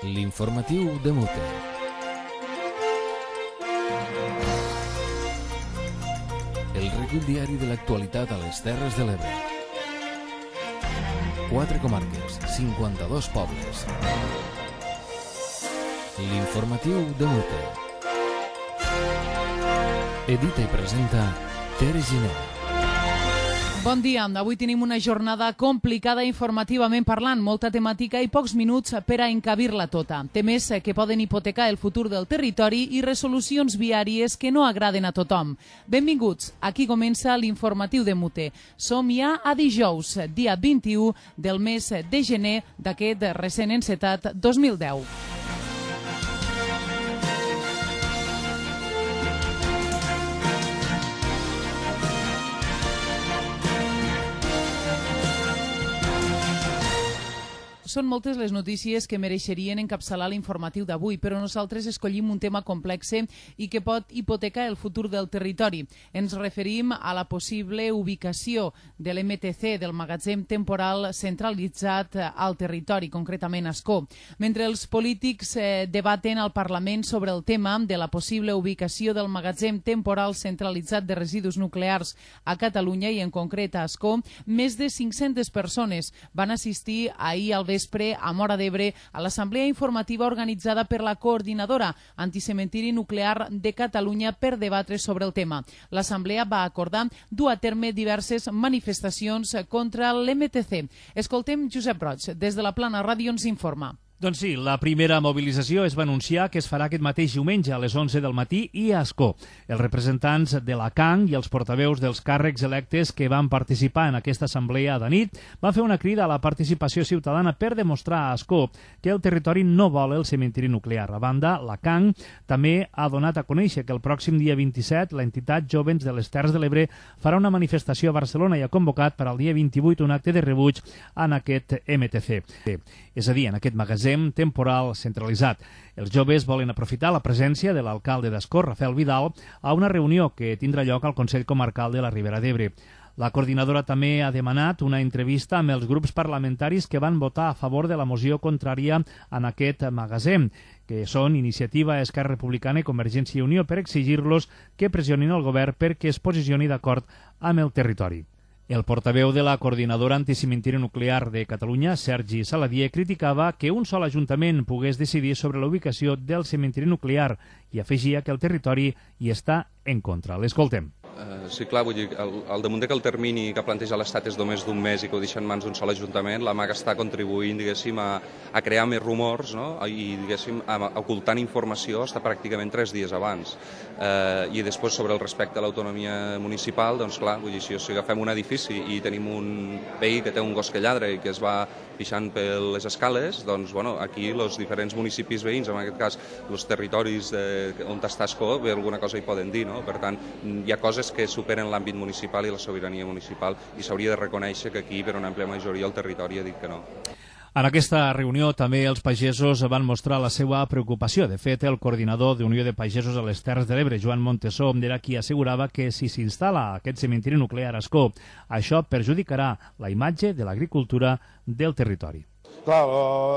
L'informatiu de Mute. El recull diari de l'actualitat a les Terres de l'Ebre. 4 comarques, 52 pobles. L'informatiu de Mute. Edita i presenta Tere Giner. Bon dia. Avui tenim una jornada complicada informativament parlant, molta temàtica i pocs minuts per a encabir-la tota. Temes que poden hipotecar el futur del territori i resolucions viàries que no agraden a tothom. Benvinguts. Aquí comença l'informatiu de Mute. Som ja a dijous, dia 21 del mes de gener d'aquest recent encetat 2010. Són moltes les notícies que mereixerien encapçalar l'informatiu d'avui, però nosaltres escollim un tema complex i que pot hipotecar el futur del territori. Ens referim a la possible ubicació de l'MTC, del magatzem temporal centralitzat al territori, concretament a Ascó. Mentre els polítics debaten al Parlament sobre el tema de la possible ubicació del magatzem temporal centralitzat de residus nuclears a Catalunya i en concret a Ascó, més de 500 persones van assistir ahir al vespre a Móra d'Ebre a l'assemblea informativa organitzada per la Coordinadora Anticementiri Nuclear de Catalunya per debatre sobre el tema. L'assemblea va acordar dur a terme diverses manifestacions contra l'MTC. Escoltem Josep Roig, des de la Plana Ràdio ens informa. Doncs sí, la primera mobilització es va anunciar que es farà aquest mateix diumenge a les 11 del matí i a Ascó. Els representants de la CAN i els portaveus dels càrrecs electes que van participar en aquesta assemblea de nit van fer una crida a la participació ciutadana per demostrar a Ascó que el territori no vol el cementiri nuclear. A banda, la CAN també ha donat a conèixer que el pròxim dia 27 l'entitat Jóvens de les Terres de l'Ebre farà una manifestació a Barcelona i ha convocat per al dia 28 un acte de rebuig en aquest MTC. És a dir, en aquest magatzem temporal centralitzat. Els joves volen aprofitar la presència de l'alcalde d'Ascó, Rafael Vidal, a una reunió que tindrà lloc al Consell Comarcal de la Ribera d'Ebre. La coordinadora també ha demanat una entrevista amb els grups parlamentaris que van votar a favor de la moció contrària en aquest magatzem, que són Iniciativa, Esquerra Republicana i Convergència i Unió, per exigir-los que pressionin el govern perquè es posicioni d'acord amb el territori. El portaveu de la Coordinadora Anticementiri Nuclear de Catalunya, Sergi Saladier, criticava que un sol ajuntament pogués decidir sobre la ubicació del cementiri nuclear i afegia que el territori hi està en contra. L'escoltem. Sí, clar, vull dir, al damunt que el termini que planteja l'Estat és només d'un mes i que ho deixa en mans d'un sol ajuntament, la MAG està contribuint, diguéssim, a crear més rumors, no? I, diguéssim, ocultant informació està pràcticament 3 dies abans. I després, sobre el respecte a l'autonomia municipal, doncs clar, vull dir, si agafem un edifici i tenim un veí que té un gos que lladra i que es va pixant per les escales, doncs, bueno, aquí els diferents municipis veïns, en aquest cas, els territoris on està Ascó, bé, alguna cosa hi poden dir, no? Per tant, hi ha coses que superen l'àmbit municipal i la sobirania municipal i s'hauria de reconèixer que aquí, per una àmplia majoria, el territori ha dit que no. En aquesta reunió també els pagesos van mostrar la seva preocupació. De fet, el coordinador d'Unió de Pagesos a les Terres de l'Ebre, Joan Montesó, era qui assegurava que si s'instal·la aquest cementiri nuclear a Ascó, això perjudicarà la imatge de l'agricultura del territori. Clar,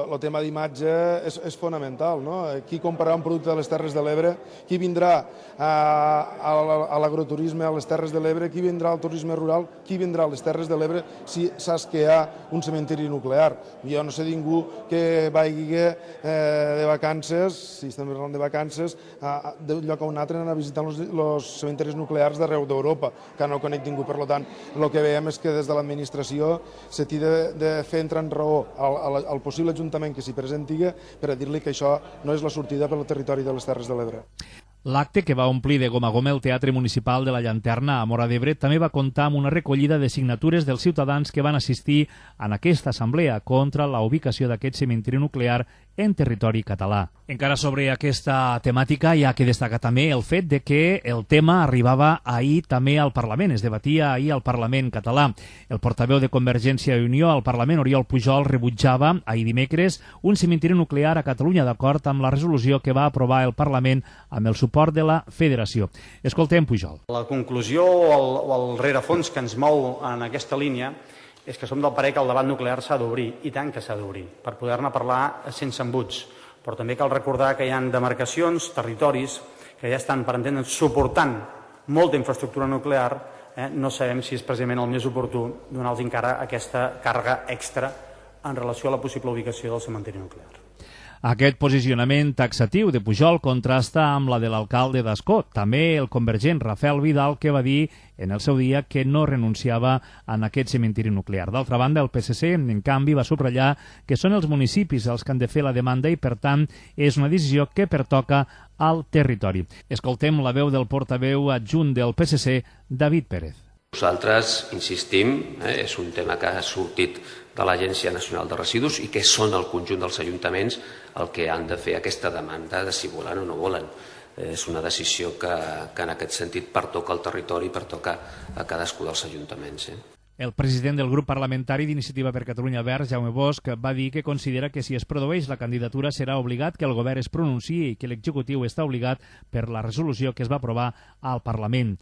el tema d'imatge és fonamental, no? Qui comprarà un producte de les Terres de l'Ebre, qui vindrà a l'agroturisme a les Terres de l'Ebre, qui vindrà al turisme rural, qui vindrà a les Terres de l'Ebre si saps que hi ha un cementiri nuclear. Jo no sé ningú que vagi de vacances, si estem parlant de vacances, d'un lloc a un altre anar a visitar els cementiris nuclears d'arreu d'Europa, que no conec ningú. Per tant, el que veiem és que des de l'administració se t'hi de fer entrar en raó al possible ajuntament que s'hi presenti per a dir-li que això no és la sortida per al territori de les Terres de l'Ebre. L'acte, que va omplir de gom a gom el Teatre Municipal de la Llanterna a Móra d'Ebre, també va comptar amb una recollida de signatures dels ciutadans que van assistir en aquesta assemblea contra la ubicació d'aquest cementiri nuclear en territori català. Encara sobre aquesta temàtica hi ha que destacar també el fet de que el tema arribava ahir també al Parlament, es debatia ahir al Parlament català. El portaveu de Convergència i Unió al Parlament, Oriol Pujol, rebutjava ahir dimecres un cementiri nuclear a Catalunya d'acord amb la resolució que va aprovar el Parlament amb el suport de la Federació. Escoltem Pujol. La conclusió o el rerefons que ens mou en aquesta línia és que som del parer que el debat nuclear s'ha d'obrir, i tant que s'ha d'obrir, per poder-ne parlar sense embuts, Però també cal recordar que hi ha demarcacions, territoris, que ja estan, per entendre'ns, suportant molta infraestructura nuclear. No sabem si és precisament el més oportú donar-los encara aquesta càrrega extra en relació a la possible ubicació del cementiri nuclear. Aquest posicionament taxatiu de Pujol contrasta amb la de l'alcalde d'Ascó, també el convergent Rafael Vidal, que va dir en el seu dia que no renunciava a aquest cementiri nuclear. D'altra banda, el PSC, en canvi, va subratllar que són els municipis els que han de fer la demanda i, per tant, és una decisió que pertoca al territori. Escoltem la veu del portaveu adjunt del PSC, David Pérez. Nosaltres insistim, és un tema que ha sortit de l'Agència Nacional de Residus i que són el conjunt dels ajuntaments el que han de fer aquesta demanda de si volen o no volen. És una decisió que en aquest sentit pertoca al territori i pertoca a cadascú dels ajuntaments. El president del grup parlamentari d'Iniciativa per Catalunya Verds, Jaume Bosch, va dir que considera que si es produeix la candidatura serà obligat que el govern es pronunciï i que l'executiu està obligat per la resolució que es va aprovar al Parlament.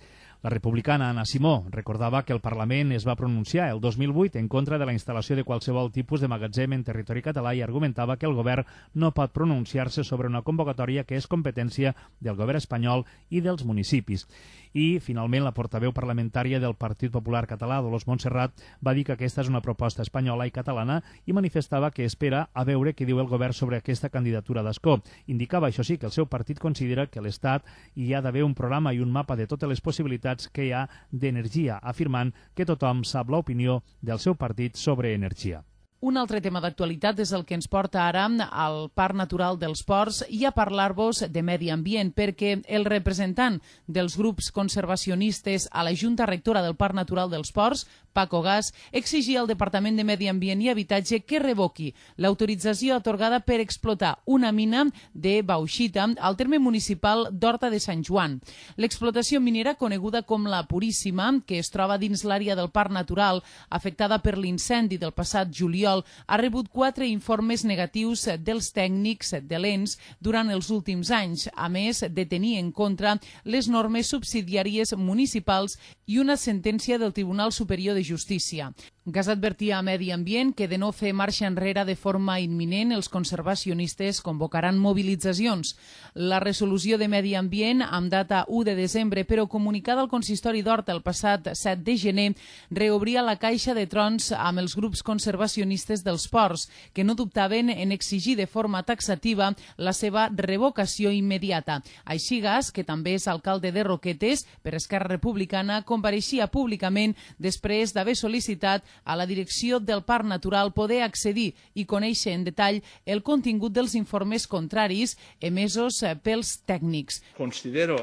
La republicana Anna Simó recordava que el Parlament es va pronunciar el 2008 en contra de la instal·lació de qualsevol tipus de magatzem en territori català i argumentava que el govern no pot pronunciar-se sobre una convocatòria que és competència del govern espanyol i dels municipis. I, finalment, la portaveu parlamentària del Partit Popular Català, Dolors Montserrat, va dir que aquesta és una proposta espanyola i catalana i manifestava que espera a veure què diu el govern sobre aquesta candidatura d'Ascó. Indicava, això sí, que el seu partit considera que a l'Estat hi ha d'haver un programa i un mapa de totes les possibilitats que hi ha d'energia, afirmant que tothom sap l'opinió del seu partit sobre energia. Un altre tema d'actualitat és el que ens porta ara al Parc Natural dels Ports i a parlar-vos de medi ambient, perquè el representant dels grups conservacionistes a la Junta Rectora del Parc Natural dels Ports, Paco Gas, exigia al Departament de Medi Ambient i Habitatge que revoqui l'autorització atorgada per explotar una mina de bauxita al terme municipal d'Horta de Sant Joan. L'explotació minera, coneguda com la Puríssima, que es troba dins l'àrea del Parc Natural afectada per l'incendi del passat juliol, ha rebut 4 informes negatius dels tècnics de l'ENS durant els últims anys, a més de tenir en contra les normes subsidiàries municipals i una sentència del Tribunal Superior de Justícia. Gas advertia a Medi Ambient que de no fer marxa enrere de forma imminent els conservacionistes convocaran mobilitzacions. La resolució de Medi Ambient, amb data 1 de desembre, però comunicada al consistori d'Horta el passat 7 de gener, reobria la caixa de trons amb els grups conservacionistes dels ports, que no dubtaven en exigir de forma taxativa la seva revocació immediata. Així Gas, que també és alcalde de Roquetes per Esquerra Republicana, compareixia públicament després d'haver sol·licitat a la direcció del Parc Natural poder accedir i conèixer en detall el contingut dels informes contraris emesos pels tècnics. Considero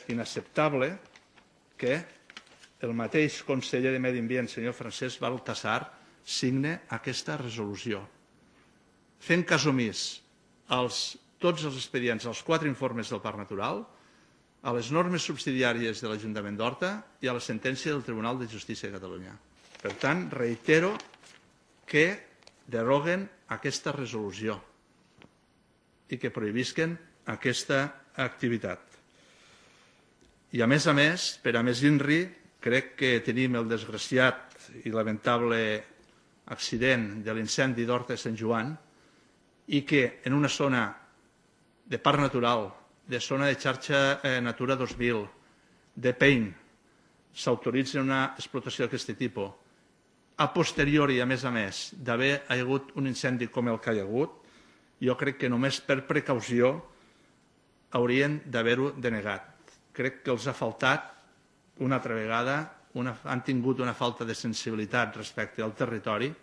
inacceptable que el mateix conseller de Medi Ambient, senyor Francesc Baltasar, signe aquesta resolució, fent cas omís tots els expedients, els 4 informes del Parc Natural, a les normes subsidiàries de l'Ajuntament d'Horta i a la sentència del Tribunal de Justícia de Catalunya. Per tant, reitero que deroguen aquesta resolució i que prohibisquen aquesta activitat. I a més, per a més INRI, crec que tenim el desgraciat i lamentable accident de l'incendi d'Horta de Sant Joan i que en una zona de parc natural, de zona de xarxa Natura 2000, de PEIN, s'autoritza una explotació d'aquest tipus. A posteriori, a més, d'haver hagut un incendi com el que hi ha hagut, jo crec que només per precaució haurien d'haver-ho denegat. Crec que els ha faltat, una altra vegada, han tingut una falta de sensibilitat respecte al territori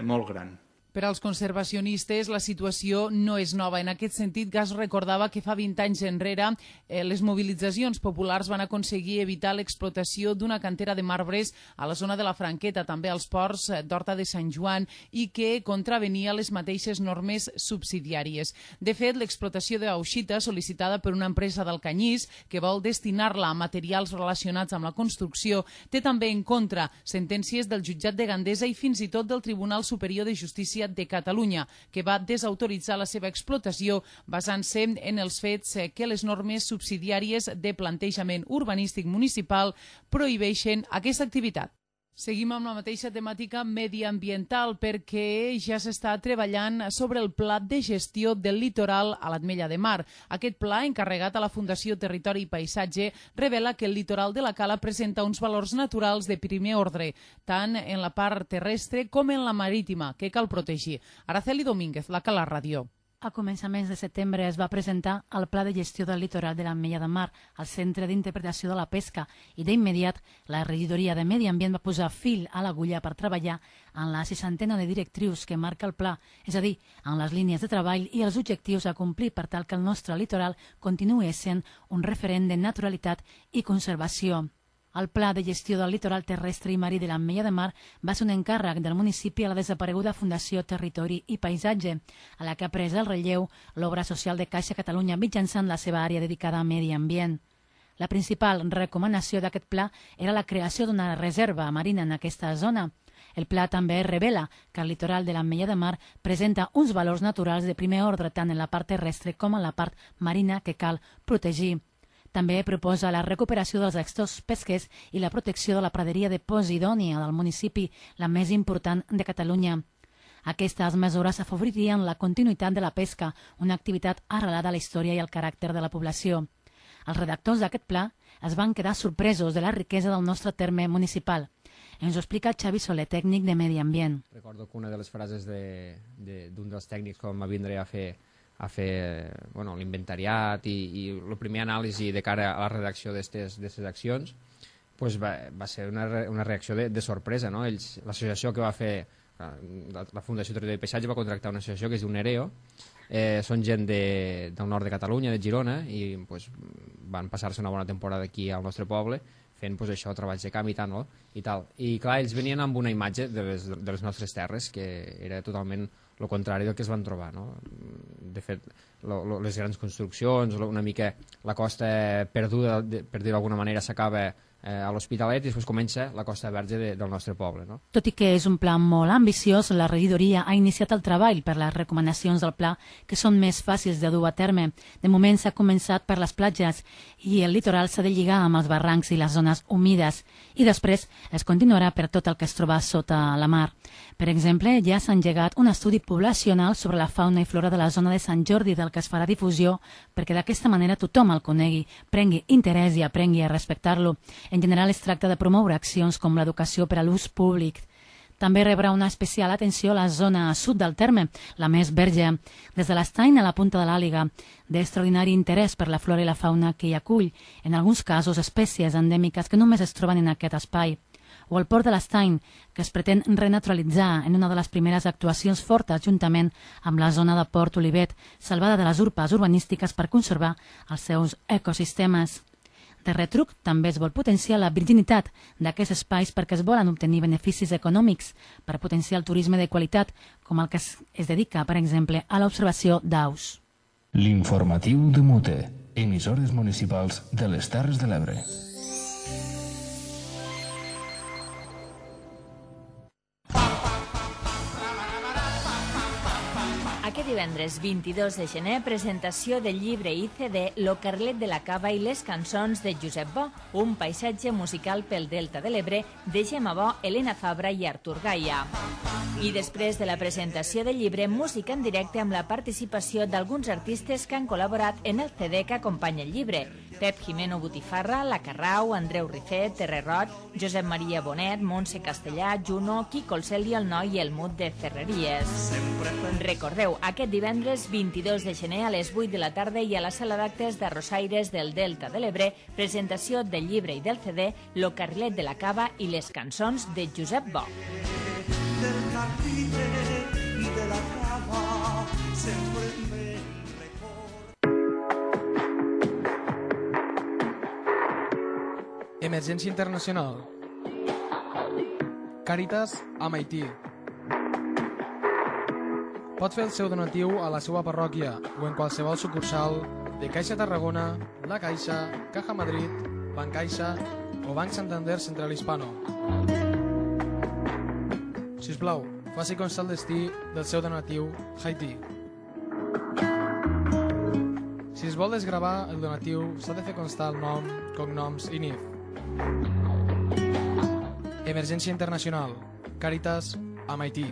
molt gran. Per als conservacionistes, la situació no és nova. En aquest sentit, Gas recordava que fa 20 anys enrere les mobilitzacions populars van aconseguir evitar l'explotació d'una cantera de marbres a la zona de la Franqueta, també als ports d'Horta de Sant Joan, i que contravenia les mateixes normes subsidiàries. De fet, l'explotació de bauxita, sol·licitada per una empresa d'Alcanyís, que vol destinar-la a materials relacionats amb la construcció, té també en contra sentències del jutjat de Gandesa i fins i tot del Tribunal Superior de Justícia de Catalunya, que va desautoritzar la seva explotació basant-se en els fets que les normes subsidiàries de plantejament urbanístic municipal prohibeixen aquesta activitat. Seguim amb la mateixa temàtica mediambiental perquè ja s'està treballant sobre el pla de gestió del litoral a l'Ametlla de Mar. Aquest pla, encarregat a la Fundació Territori i Paisatge, revela que el litoral de la Cala presenta uns valors naturals de primer ordre, tant en la part terrestre com en la marítima, que cal protegir. Araceli Domínguez, la Cala Ràdio. A començaments de setembre es va presentar el Pla de Gestió del Litoral de l'Ametlla de Mar al Centre d'Interpretació de la Pesca i d'immediat la Regidoria de Medi Ambient va posar fil a l'agulla per treballar en la 60ena de directrius que marca el pla, és a dir, en les línies de treball i els objectius a complir per tal que el nostre litoral continuï sent un referent de naturalitat i conservació. El Pla de Gestió del Litoral Terrestre i Marí de l'Ametlla de Mar va ser un encàrrec del municipi a la desapareguda Fundació Territori i Paisatge, a la que ha pres el relleu l'obra social de Caixa Catalunya mitjançant la seva àrea dedicada a medi ambient. La principal recomanació d'aquest pla era la creació d'una reserva marina en aquesta zona. El pla també revela que el litoral de l'Ametlla de Mar presenta uns valors naturals de primer ordre tant en la part terrestre com en la part marina que cal protegir. També proposa la recuperació dels extors pesquers i la protecció de la praderia de Posidònia del municipi, la més important de Catalunya. Aquestes mesures afavoririen la continuïtat de la pesca, una activitat arrelada a la història i al caràcter de la població. Els redactors d'aquest pla es van quedar sorpresos de la riquesa del nostre terme municipal. Ens ho explica Xavi Soler, tècnic de Medi Ambient. Recordo que una de les frases d'un dels tècnics que va vindre a fer l'inventariat i la primera anàlisi de cara a la redacció d'aquestes accions va ser una reacció de sorpresa. L'associació que va fer la Fundació Territori i Paisatge va contractar una associació que es diu Nereo, són gent del nord de Catalunya, de Girona, i van passar-se una bona temporada aquí al nostre poble fent treballs de camp i tal. I clar, ells venien amb una imatge de les nostres terres que era totalment el contrari del que es van trobar. De fet, les grans construccions, una mica la costa perduda, per dir-ho d'alguna manera, s'acaba a l'Hospitalet i després comença la Costa Verge del nostre poble. Tot i que és un pla molt ambiciós, la regidoria ha iniciat el treball per les recomanacions del pla que són més fàcils de dur a terme. De moment s'ha començat per les platges i el litoral s'ha de lligar amb els barrancs i les zones humides i després es continuarà per tot el que es troba sota la mar. Per exemple, ja s'ha engegat un estudi poblacional sobre la fauna i flora de la zona de Sant Jordi del que es farà difusió perquè d'aquesta manera tothom el conegui, prengui interès i aprengui a respectar-lo. En general es tracta de promoure accions com l'educació per a l'ús públic. També rebrà una especial atenció a la zona sud del terme, la més verge, des de l'Estany a la Punta de l'Àliga, d'extraordinari interès per la flora i la fauna que hi acull, en alguns casos espècies endèmiques que només es troben en aquest espai. O el port de l'Estany, que es pretén renaturalitzar en una de les primeres actuacions fortes juntament amb la zona de Port Olivet, salvada de les urpes urbanístiques per conservar els seus ecosistemes. De retruc, també es vol potenciar la virginitat d'aquests espais perquè es volen obtenir beneficis econòmics per potenciar el turisme de qualitat, com el que es dedica, per exemple, a l'observació d'aus. L'informatiu de Mute, emissores municipals de les Terres de l'Ebre. Aquest divendres 22 de gener, presentació del llibre i CD Lo Carlet de la Cava i les cançons de Josep Bo, un paisatge musical pel Delta de l'Ebre de Gemma Bo, Helena Fabra i Artur Gaia. I després de la presentació del llibre, música en directe amb la participació d'alguns artistes que han col·laborat en el CD que acompanya el llibre. Pep Jimeno Botifarra, La Carrau, Andreu Rifet, Terrerot, Josep Maria Bonet, Montse Castellà, Juno, Quico el Cel i el Noi i el Mut de Ferreries. Recordeu, aquest divendres 22 de gener a les 8 de la tarda i a la sala d'actes de Rosaires del Delta de l'Ebre, presentació del llibre i del CD Lo Carlet de la Cava i les cançons de Josep Bo. Del carlet i de la cava sempre me record. Emergència internacional. Càritas a Haití. Pot fer el seu donatiu a la seva parròquia o en qualsevol sucursal de Caixa Tarragona, La Caixa, Caja Madrid, Bancaixa o Banc Santander Central Hispano. Sisplau, faci constar el destí del seu donatiu Haití. Si es vol desgravar el donatiu, s'ha de fer constar el nom, cognoms i NIF. Emergència Internacional, Càritas, amb Haití.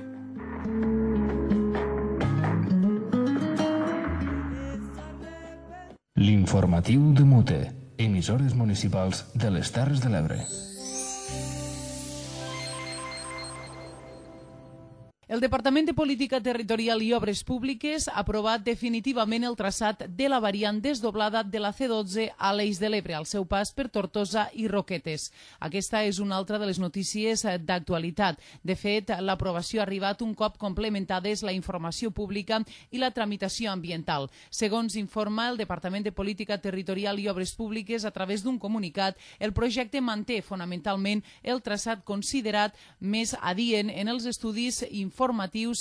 L'informatiu de Mute, emissores municipals de les Terres de l'Ebre. El Departament de Política Territorial i Obres Públiques ha aprovat definitivament el traçat de la variant desdoblada de la C12 a l'Eix de l'Ebre, al seu pas per Tortosa i Roquetes. Aquesta és una altra de les notícies d'actualitat. De fet, l'aprovació ha arribat un cop complementades la informació pública i la tramitació ambiental. Segons informa el Departament de Política Territorial i Obres Públiques, a través d'un comunicat, el projecte manté fonamentalment el traçat considerat més adient en els estudis informatius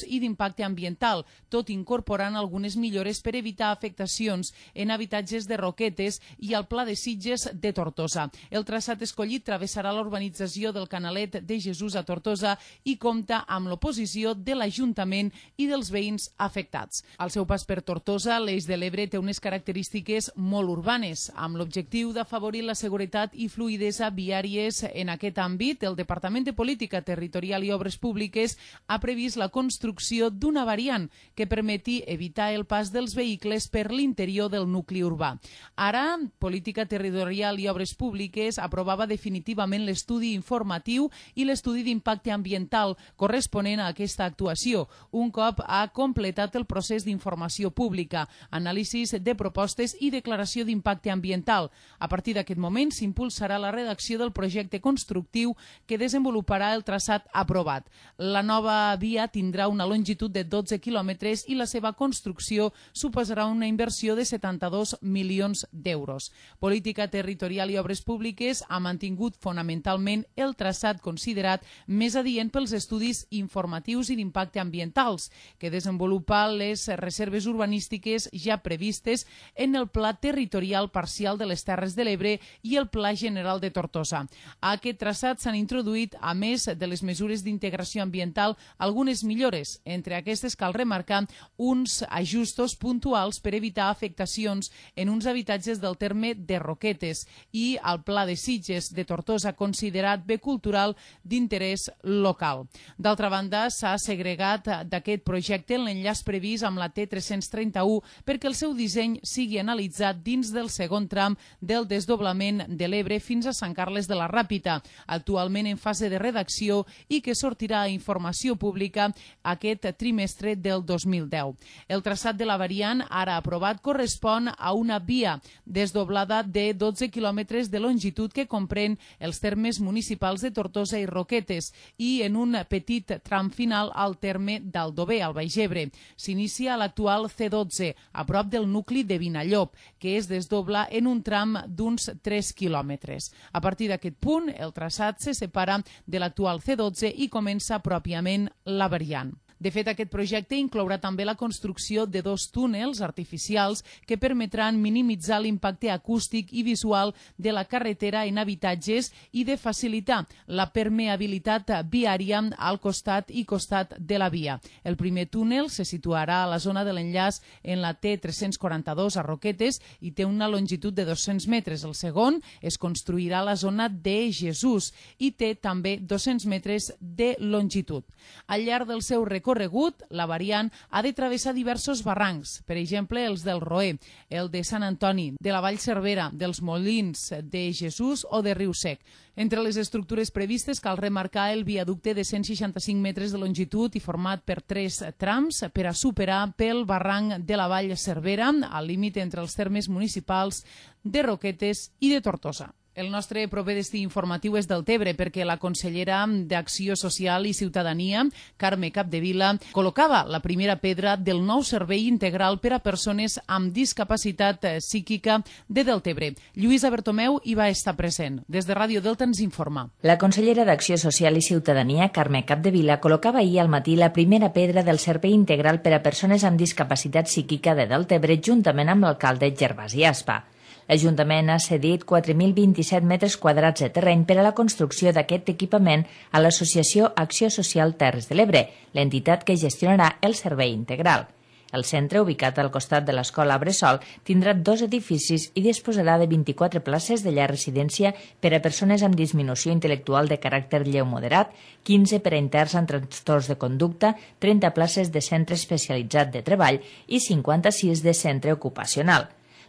i d'impacte ambiental, tot incorporant algunes millores per evitar afectacions en habitatges de Roquetes i al Pla de Sitges de Tortosa. El traçat escollit travessarà l'urbanització del Canalet de Jesús a Tortosa i compta amb l'oposició de l'Ajuntament i dels veïns afectats. Al seu pas per Tortosa, l'Eix de l'Ebre té unes característiques molt urbanes. Amb l'objectiu d'afavorir la seguretat i fluïdesa viàries en aquest àmbit, el Departament de Política Territorial i Obres Públiques ha previst la construcció d'una variant que permeti evitar el pas dels vehicles per l'interior del nucli urbà. Ara, Política Territorial i Obres Públiques aprovava definitivament l'estudi informatiu i l'estudi d'impacte ambiental corresponent a aquesta actuació, un cop ha completat el procés d'informació pública, anàlisis de propostes i declaració d'impacte ambiental. A partir d'aquest moment s'impulsarà la redacció del projecte constructiu que desenvoluparà el traçat aprovat. La nova via tindrà una longitud de 12 quilòmetres i la seva construcció suposarà una inversió de 72 milions d'euros. Política Territorial i Obres Públiques ha mantingut fonamentalment el traçat considerat més adient pels estudis informatius i d'impacte ambientals, que desenvolupa les reserves urbanístiques ja previstes en el Pla Territorial Parcial de les Terres de l'Ebre i el Pla General de Tortosa. A aquest traçat s'han introduït, a més de les mesures d'integració ambiental, algunes millores. Entre aquestes cal remarcar uns ajustos puntuals per evitar afectacions en uns habitatges del terme de Roquetes i al Pla de Sitges de Tortosa, considerat bé cultural d'interès local. D'altra banda, s'ha segregat d'aquest projecte l'enllaç previst amb la T331 perquè el seu disseny sigui analitzat dins del segon tram del desdoblament de l'Ebre fins a Sant Carles de la Ràpita, actualment en fase de redacció i que sortirà a informació pública aquest trimestre del 2010. El traçat de la variant, ara aprovat, correspon a una via desdoblada de 12 quilòmetres de longitud que comprèn els termes municipals de Tortosa i Roquetes i en un petit tram final al terme d'Aldover, al Baix Ebre. S'inicia a l'actual C12, a prop del nucli de Vinallop, que es desdobla en un tram d'uns 3 quilòmetres. A partir d'aquest punt, el traçat se separa de l'actual C12 i comença pròpiament la variant. De fet, aquest projecte inclourà també la construcció de 2 túnels artificials que permetran minimitzar l'impacte acústic i visual de la carretera en habitatges i de facilitar la permeabilitat viària al costat i costat de la via. El primer túnel se situarà a la zona de l'enllaç en la T342 a Roquetes i té una longitud de 200 metres. El segon es construirà a la zona de Jesús i té també 200 metres de longitud. Al llarg del seu recorregut, la variant ha de travessar diversos barrancs, per exemple els del Roer, el de Sant Antoni, de la Vall Cervera, dels Molins, de Jesús o de Riu Sec. Entre les estructures previstes cal remarcar el viaducte de 165 metres de longitud i format per 3 trams per a superar pel barranc de la Vall Cervera, al límit entre els termes municipals de Roquetes i de Tortosa. El nostre proper destí informatiu és Deltebre perquè la consellera d'Acció Social i Ciutadania, Carme Capdevila, col·locava la primera pedra del nou servei integral per a persones amb discapacitat psíquica de Deltebre. Lluïsa Bertomeu hi va estar present. Des de Ràdio Delta ens informa. La consellera d'Acció Social i Ciutadania, Carme Capdevila, col·locava ahir al matí la primera pedra del servei integral per a persones amb discapacitat psíquica de Deltebre juntament amb l'alcalde Gervasi Aspa. L'Ajuntament ha cedit 4.027 metres quadrats de terreny per a la construcció d'aquest equipament a l'Associació Acció Social Terres de l'Ebre, l'entitat que gestionarà el servei integral. El centre, ubicat al costat de l'escola Bressol, tindrà 2 edificis i disposarà de 24 places de llar residència per a persones amb disminució intel·lectual de caràcter lleu moderat, 15 per a interns amb trastorns de conducta, 30 places de centre especialitzat de treball i 56 de centre ocupacional.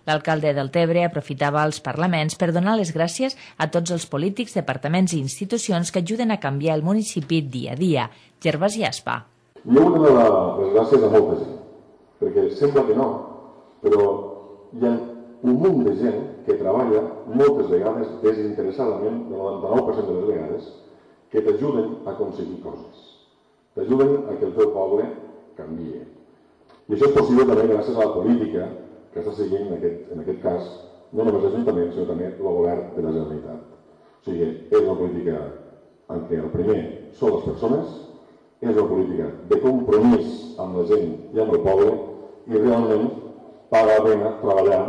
L'alcalde del Tebre aprofitava els parlaments per donar les gràcies a tots els polítics, departaments i institucions que ajuden a canviar el municipi dia a dia. Gervasi Aspa. Jo vull donar les gràcies a molta gent, perquè sembla que no, però hi ha un munt de gent que treballa moltes vegades desinteressadament, el 99% de les vegades, que t'ajuden a aconseguir coses. T'ajuden a que el teu poble canvie. I això és possible també gràcies a la política que està seguint, en aquest cas, no només l'Ajuntament, sinó també el govern de la Generalitat. O sigui, és una política en què el primer són les persones, és una política de compromís amb la gent i amb el poble, i realment paga la pena treballar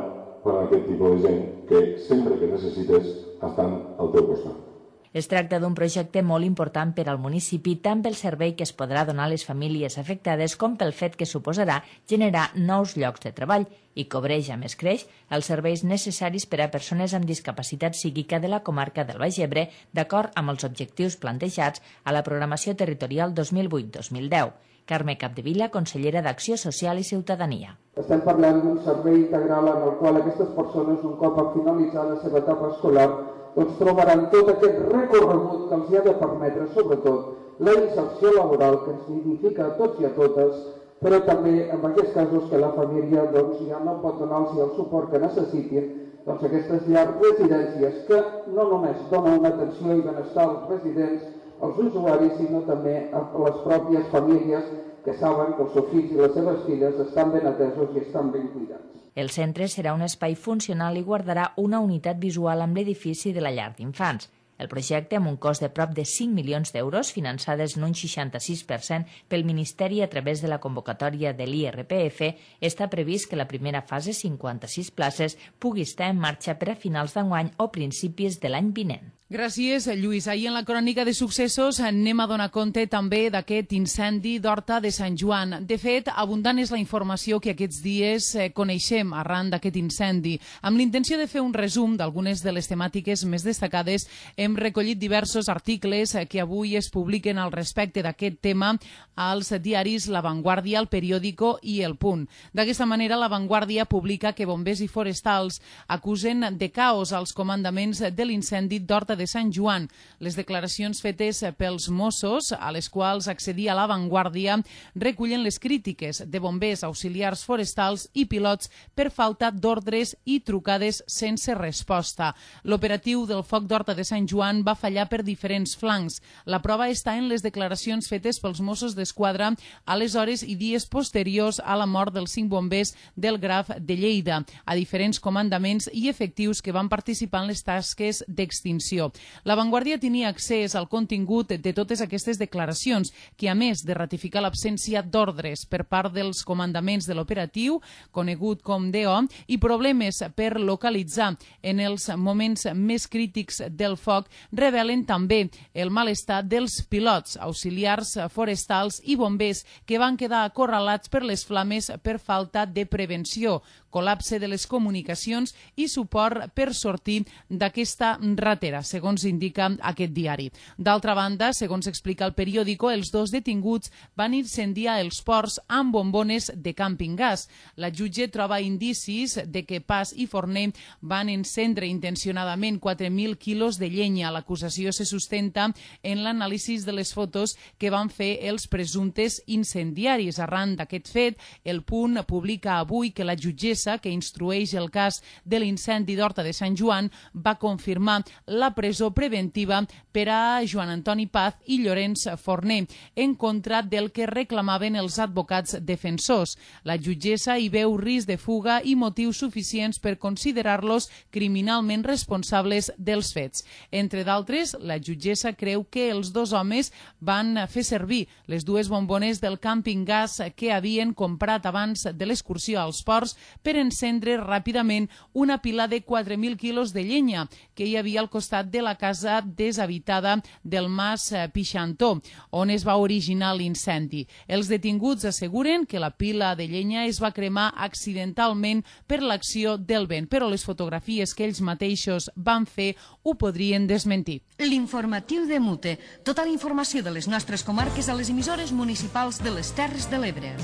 per a aquest tipus de gent que sempre que necessites estan al teu costat. Es tracta d'un projecte molt important per al municipi, tant pel servei que es podrà donar a les famílies afectades com pel fet que suposarà generar nous llocs de treball i cobreix, a més creix, els serveis necessaris per a persones amb discapacitat psíquica de la comarca del Baix Ebre, d'acord amb els objectius plantejats a la programació territorial 2008-2010. Carme Capdevila, consellera d'Acció Social i Ciutadania. Estem parlant d'un servei integral en el qual aquestes persones, un cop a finalitzar la seva etapa escolar, doncs trobaran tot aquest recorregut que els ha de permetre, sobretot, la inserció laboral que ens dignifica a tots i a totes, però també en aquests casos que la família ja no pot donar-los el suport que necessitin, doncs aquestes llars residències que no només donen una atenció i benestar als residents, als usuaris, sinó també a les pròpies famílies que saben que els seus fills i les seves filles estan ben atesos i estan ben cuidats. El centre serà un espai funcional i guardarà una unitat visual amb l'edifici de la llar d'infants. El projecte, amb un cost de prop de 5 milions d'euros, finançades en un 66% pel Ministeri a través de la convocatòria de l'IRPF, està previst que la primera fase, 56 places, pugui estar en marxa per a finals d'enguany o principis de l'any vinent. Gràcies, Lluís. Ahir en la crònica de successos anem a donar compte també d'aquest incendi d'Horta de Sant Joan. De fet, abundant és la informació que aquests dies coneixem arran d'aquest incendi. Amb l'intenció de fer un resum d'algunes de les temàtiques més destacades, hem recollit diversos articles que avui es publiquen al respecte d'aquest tema als diaris La Vanguardia, El Periódico i El Punt. D'aquesta manera, La Vanguardia publica que bombers i forestals acusen de caos als comandaments de l'incendi d'Horta de Sant Joan. Les declaracions fetes pels Mossos, a les quals accedia La Vanguardia, recullen les crítiques de bombers, auxiliars forestals i pilots per falta d'ordres i trucades sense resposta. L'operatiu del foc d'Horta de Sant Joan va fallar per diferents flancs. La prova està en les declaracions fetes pels Mossos d'Esquadra a les hores i dies posteriors a la mort dels 5 bombers del Graf de Lleida, a diferents comandaments i efectius que van participar en les tasques d'extinció. La Vanguardia tenia accés al contingut de totes aquestes declaracions, que a més de ratificar l'absència d'ordres per part dels comandaments de l'operatiu, conegut com DO, i problemes per localitzar en els moments més crítics del foc, revelen també el malestar dels pilots, auxiliars forestals i bombers que van quedar acorralats per les flames per falta de prevenció, col·lapse de les comunicacions i suport per sortir d'aquesta ratera, segons indica aquest diari. D'altra banda, segons explica El Periódico, els 2 detinguts van incendiar els ports amb bombones de càmping gas. La jutge troba indicis de que Pas i Forner van encendre intencionadament 4.000 quilos de llenya. L'acusació se sustenta en l'anàlisi de les fotos que van fer els presumptes incendiaris. Arran d'aquest fet, El Punt publica avui que la jutgessa que instrueix el cas de l'incendi d'Horta de Sant Joan va confirmar la presó preventiva per a Joan Antoni Paz i Llorenç Forner, en contra del que reclamaven els advocats defensors. La jutgessa hi veu risc de fuga i motius suficients per considerar-los criminalment responsables dels fets. Entre d'altres, la jutgessa creu que els 2 homes van fer servir les 2 bombones del càmping gas que havien comprat abans de l'excursió als ports per encendre ràpidament una pila de 4.000 quilos de llenya que hi havia al costat de la casa deshabitada del Mas Pixantó, on es va originar l'incendi. Els detinguts asseguren que la pila de llenya es va cremar accidentalment per l'acció del vent, però les fotografies que ells mateixos van fer ho podrien desmentir. L'informatiu de Mute. Tota la informació de les nostres comarques a les emissores municipals de les Terres de l'Ebre.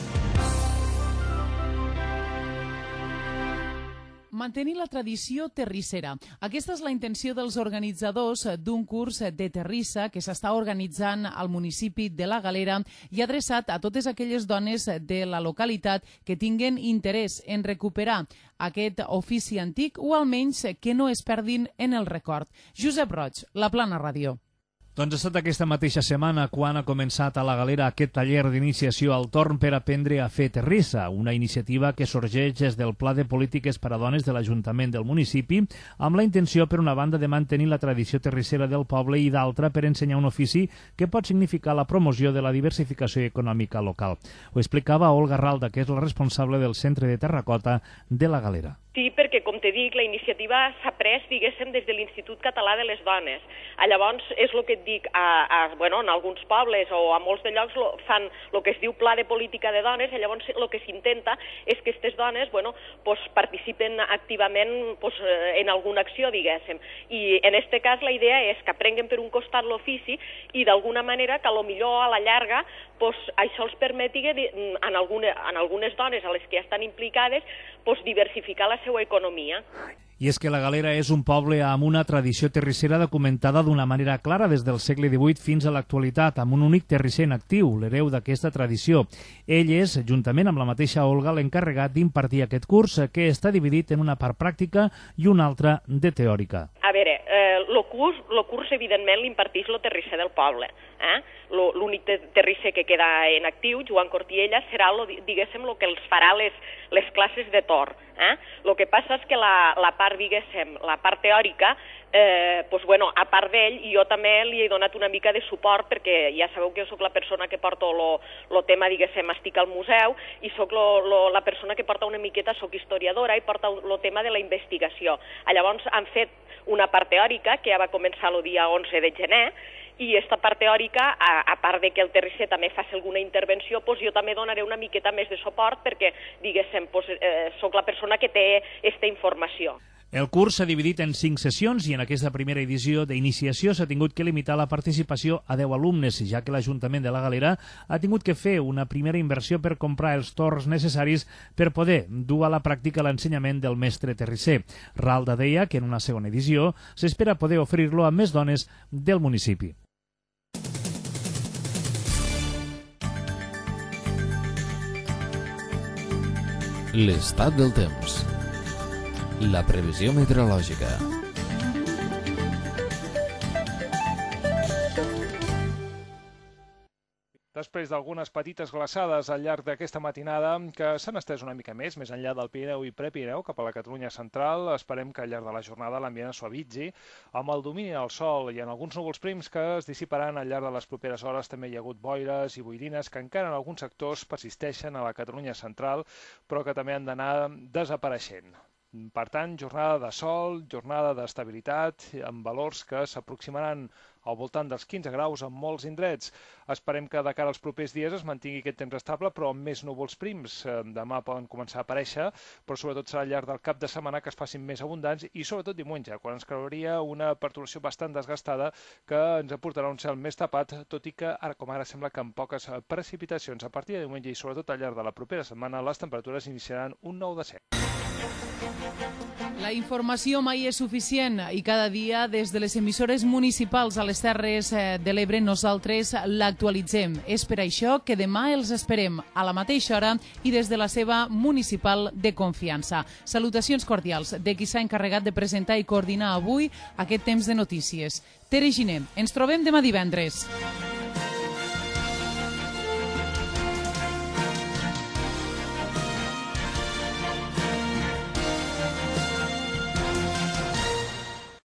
Mantenir la tradició terrissera. Aquesta és la intenció dels organitzadors d'un curs de terrissa que s'està organitzant al municipi de la Galera i adreçat a totes aquelles dones de la localitat que tinguen interès en recuperar aquest ofici antic o almenys que no es perdin en el record. Josep Roig, La Plana Ràdio. Doncs ha estat aquesta mateixa setmana quan ha començat a la Galera aquest taller d'iniciació al torn per aprendre a fer terrissa, una iniciativa que sorgeix des del Pla de Polítiques per a Dones de l'Ajuntament del municipi, amb la intenció, per una banda, de mantenir la tradició terrissera del poble i d'altra, per ensenyar un ofici que pot significar la promoció de la diversificació econòmica local. Ho explicava Olga Ralda, que és la responsable del Centre de Terracota de la Galera. Sí, perquè, com te dic, la iniciativa s'ha pres, diguéssim, des de l'Institut Català de les Dones. Llavors, és el que et dic, en alguns pobles o a molts de llocs fan el que es diu Pla de Política de Dones, i llavors el que s'intenta és que aquestes dones participen activament en alguna acció, diguéssim. I en aquest cas la idea és que aprenguen per un costat l'ofici i d'alguna manera que potser a la llarga això els permeti en algunes dones a les que ja estan implicades diversificar la seva economia. I és que la Galera és un poble amb una tradició terrissera documentada d'una manera clara des del segle XVIII fins a l'actualitat, amb un únic terrisser en actiu, l'hereu d'aquesta tradició. Ell és, juntament amb la mateixa Olga, l'encarregat d'impartir aquest curs, que està dividit en una part pràctica i una altra de teòrica. A veure, el curs evidentment l'imparteix el terrisser del poble. L'únic terrisser que queda en actiu, Joan Cortiella, serà, diguéssim, el que els farà les classes de tor. El que passa és que la part, diguéssim, la part teòrica, a part d'ell, jo també li he donat una mica de suport perquè ja sabeu que jo soc la persona que porta el tema, diguéssim, estic al museu i soc la persona que porta una miqueta, soc historiadora i porta el tema de la investigació. Llavors han fet una part teòrica que ja va començar el dia 11 de gener i aquesta part teòrica, a part de que el terrisser també faci alguna intervenció, jo també donaré una miqueta més de suport perquè, diguéssim, soc la persona que té aquesta informació. El curs s'ha dividit en 5 sessions i en aquesta primera edició d'iniciació s'ha tingut que limitar la participació a 10 alumnes, ja que l'Ajuntament de la Galera ha tingut que fer una primera inversió per comprar els torns necessaris per poder dur a la pràctica l'ensenyament del mestre terrisser. Ralda deia que en una segona edició s'espera poder oferir-lo a més dones del municipi. L'estat del temps. La previsió meteorològica. Després d'algunes petites glaçades al llarg d'aquesta matinada que s'han estès una mica més enllà del Pirineu i Prepirineu cap a la Catalunya central, esperem que al llarg de la jornada l'ambient es suavitzi amb el domini del sol i en alguns núvols prims que es dissiparan al llarg de les properes hores. També hi ha hagut boires i boirines que encara en alguns sectors persisteixen a la Catalunya central, però que també han d'anar desapareixent. Per tant, jornada de sol, jornada d'estabilitat, amb valors que s'aproximaran al voltant dels 15 graus en molts indrets. Esperem que de cara als propers dies es mantingui aquest temps estable, però amb més núvols prims. Demà poden començar a aparèixer, però sobretot serà al llarg del cap de setmana que es facin més abundants i sobretot diumenge, quan ens creuria una perturbació bastant desgastada que ens aportarà un cel més tapat, tot i que ara com ara sembla que amb poques precipitacions. A partir de diumenge i sobretot al llarg de la propera setmana les temperatures iniciaran un nou descens. La informació mai és suficient i cada dia des de les emissores municipals a les Terres de l'Ebre nosaltres l'actualitzem. És per això que demà els esperem a la mateixa hora i des de la seva municipal de confiança. Salutacions cordials de qui s'ha encarregat de presentar i coordinar avui aquest temps de notícies. Tere Giner, ens trobem demà divendres.